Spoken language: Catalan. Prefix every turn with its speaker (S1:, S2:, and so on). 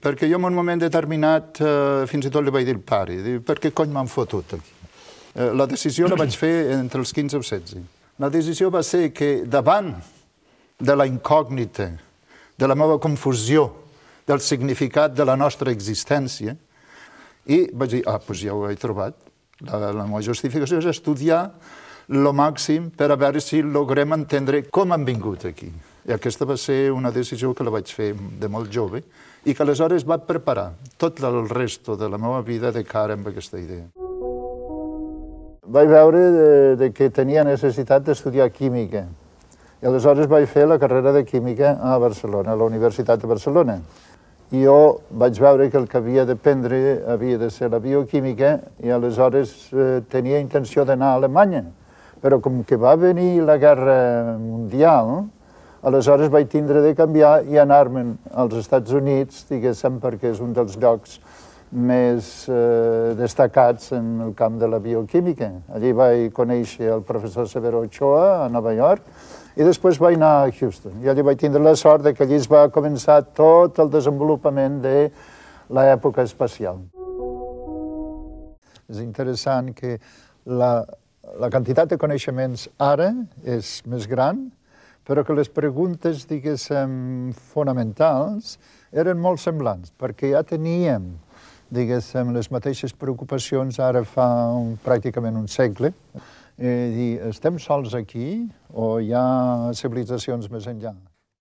S1: Perquè jo en un moment determinat fins i tot li vaig dir al pare, per què cony m'han fotut aquí? La decisió la vaig fer entre els 15 o 16. La decisió va ser que davant de la incògnita, de la meva confusió, del significat de la nostra existència, i vaig dir, doncs ja ho he trobat. La meva justificació és estudiar el màxim per a veure si logrem entendre com han vingut aquí. I aquesta va ser una decisió que la vaig fer de molt jove i que aleshores va preparar tot el resto de la meva vida de cara amb aquesta idea. Vaig veure que tenia necessitat d'estudiar química i aleshores vaig fer la carrera de química a Barcelona, a la Universitat de Barcelona. I jo vaig veure que el que havia d'aprendre havia de ser la bioquímica i aleshores tenia intenció d'anar a Alemanya. Però com que va venir la Guerra Mundial, aleshores vaig tindre de canviar i anar-me'n als Estats Units, diguéssim, perquè és un dels llocs més destacats en el camp de la bioquímica. Allí vaig conèixer el professor Severo Ochoa a Nova York i després vaig anar a Houston. I allí vaig tindre la sort que allí es va començar tot el desenvolupament de l'època espacial. És interessant que la quantitat de coneixements ara és més gran, però que les preguntes, diguéssim, fonamentals eren molt semblants, perquè ja teníem, diguéssim, les mateixes preocupacions ara fa pràcticament un segle. Estem sols aquí o hi ha civilitzacions més enllà?